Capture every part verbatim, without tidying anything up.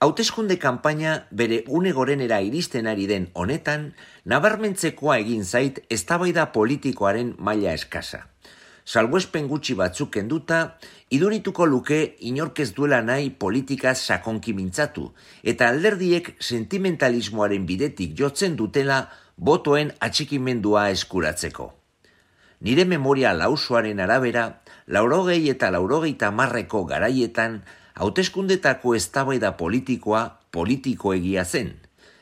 Hauteskunde kanpaina bere une gorenera iristen ari den honetan, nabarmentzekoa egin zait eztabaida politikoaren maila eskasa. Salbuespen gutxi batzuk kenduta, idurituko luke inork ez duela nahi politikaz sakonki mintzatu, eta alderdiek sentimentalismoaren bidetik jotzen dutela botoen atxikimendua eskuratzeko. Nire memoria lausoaren arabera, laurogei eta laurogeita marreko garaietan, hauteskundetako eztabaida politikoa politikoegia zen.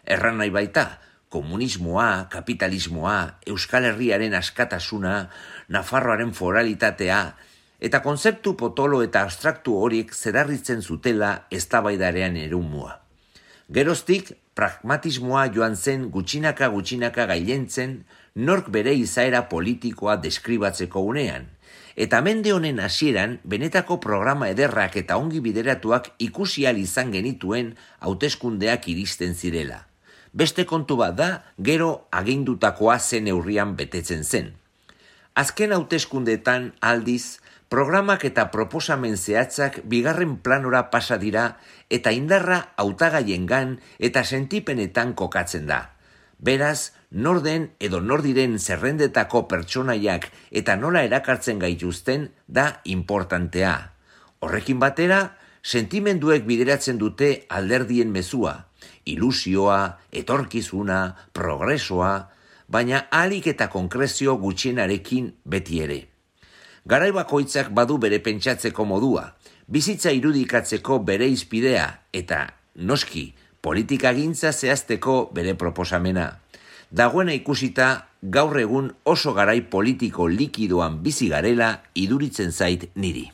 Erran nahi baita, komunismoa, kapitalismoa, Euskal Herriaren askatasuna, Nafarroaren foralitatea, eta kontzeptu potolo eta abstraktu horiek zedarritzen zutela eztabaidarean erumua. Geroztik, pragmatismoa joan zen gutxinaka gutxinaka gailentzen, nork bere izaera politikoa deskribatzeko unean, eta mende honen hasieran benetako programa ederrak eta ongi bideratuak ikusi ahal izan genituen hauteskundeak iristen zirela. Beste kontu bat da, gero agindutakoa zen neurrian betetzen zen. Azken hauteskundeetan aldiz, programak eta proposamen zehatzak bigarren planora pasa dira eta indarra hautagaiengan eta sentipenetan kokatzen da. Beraz, norden edo nordiren zerrendetako pertsonaiak eta nola erakartzen gaituzten da importantea. Horrekin batera, sentimenduek bideratzen dute alderdien mezua, ilusioa, etorkizuna, progresoa, baina ahalik eta konkrezio gutxienarekin beti ere. Garai bakoitzak badu bere pentsatzeko modua, bizitza irudikatzeko bere izpidea eta, noski, politikagintza zehazteko bere proposamena. Dagoena ikusita, gaur egun oso garai politiko likidoan bizi garela iduritzen zait niri.